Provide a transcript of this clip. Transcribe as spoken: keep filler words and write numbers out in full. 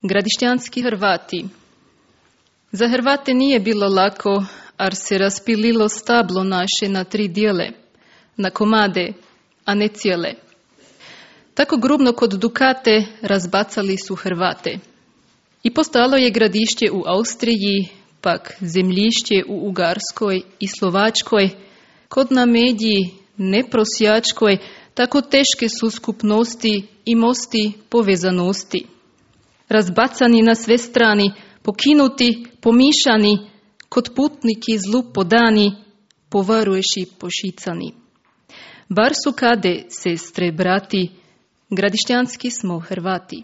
Gradišćanski Hrvati. Za Hrvate nije bilo lako, ar se raspililo stablo naše na tri dijele, na komade, a ne cijele. Tako grubno kod Dukate razbacali su Hrvate. I postalo je gradišće u Austriji, pak zemljišće u Ugarskoj i Slovačkoj, kod na Medji, neprosjačkoj, tako teške su skupnosti i mosti povezanosti. Razbacani na sve strani, pokinuti, pomišani, kod putniki zlu podani, povaruješi pošicani. Bar su kade, sestre, brati, gradišćanski smo Hrvati.